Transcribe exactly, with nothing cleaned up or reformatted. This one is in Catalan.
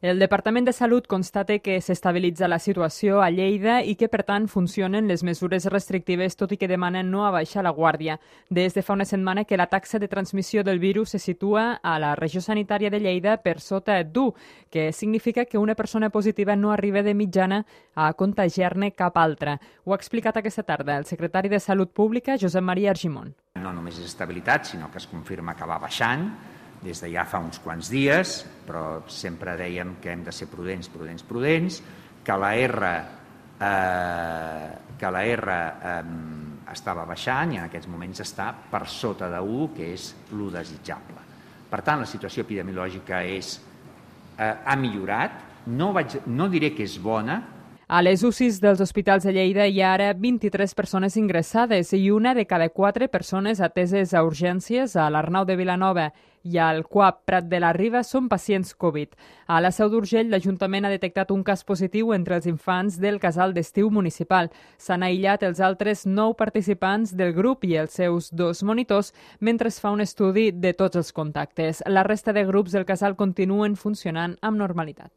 El Departament de Salut constata que s'estabilitza la situació a Lleida i que, per tant, funcionen les mesures restrictives, tot i que demanen no abaixar la guàrdia. Des de fa una setmana que la taxa de transmissió del virus se situa a la regió sanitària de Lleida per sota d'u, que significa que una persona positiva no arriba de mitjana a contagiar-ne cap altra. Ho ha explicat aquesta tarda el secretari de Salut Pública, Josep Maria Argimon. No només és estabilitat, sinó que es confirma que va baixant des de ja fa uns quants dies, però sempre dèiem que hem de ser prudents, prudents, prudents, que la R, eh, que la R eh, estava baixant i en aquests moments està per sota d'u, que és l'u desitjable. Per tant, la situació epidemiològica és, eh, ha millorat, no, vaig, no diré que és bona. A les U C Is dels hospitals de Lleida hi ha ara vint-i-tres persones ingressades i una de cada quatre persones ateses a urgències a l'Arnau de Vilanova i al C U A P Prat de la Riba són pacients Covid. A la Seu d'Urgell, l'Ajuntament ha detectat un cas positiu entre els infants del casal d'estiu municipal. S'han aïllat els altres nou participants del grup i els seus dos monitors mentre es fa un estudi de tots els contactes. La resta de grups del casal continuen funcionant amb normalitat.